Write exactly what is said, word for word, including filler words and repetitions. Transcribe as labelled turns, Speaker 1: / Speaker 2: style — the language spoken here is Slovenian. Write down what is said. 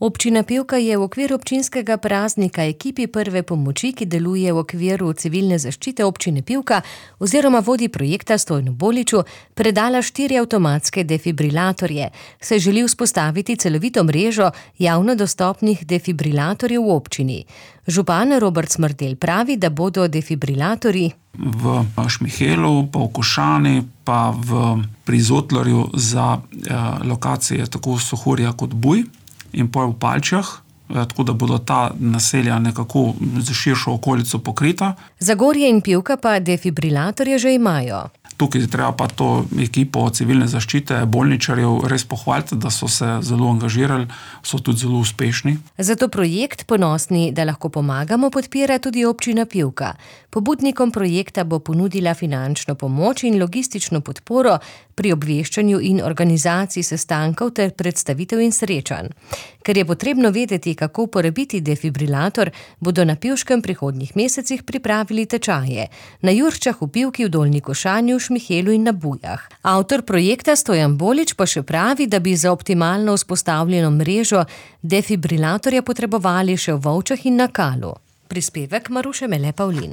Speaker 1: Občina Pivka je v okviru občinskega praznika ekipi prve pomoči, ki deluje v okviru civilne zaščite občine Pivka oziroma vodi projekta Stojnu Boliču, predala štiri avtomatske defibrilatorje. Se želi vzpostaviti celovito mrežo javno dostopnih defibrilatorjev v občini. Župan Robert Smrdelj pravi, da bodo defibrilatorji
Speaker 2: v Šmihelu, pa v Košani, pa v Prizotlarju za eh, lokacije tako Sohorja kot Buj in pa v Palčah, tako da bodo ta naselja nekako za širšo okolico pokrita.
Speaker 1: Zagorje in Pivka pa defibrilatorje že imajo.
Speaker 2: Tukaj treba pa to ekipo civilne zaščite, bolničarjev res pohvaliti, da so se zelo angažirali, so tudi zelo uspešni.
Speaker 1: Zato projekt Ponosni, da lahko pomagamo, podpira tudi občina Pivka. Pobudnikom projekta bo ponudila finančno pomoč in logistično podporo pri obveščanju in organizaciji sestankov ter predstavitev in srečanj. Ker je potrebno vedeti, kako uporabiti defibrilator, bodo na Pivškem prihodnjih mesecih pripravili tečaje. Na Jurčah, v Pivki, v Dolnji Košanji, v Šmihelu in na Bujah. Avtor projekta Stojan Bolič pa še pravi, da bi za optimalno vzpostavljeno mrežo defibrilatorja potrebovali še v Volčah in na Kalu. Prispevek Maruše Mele Pavlin.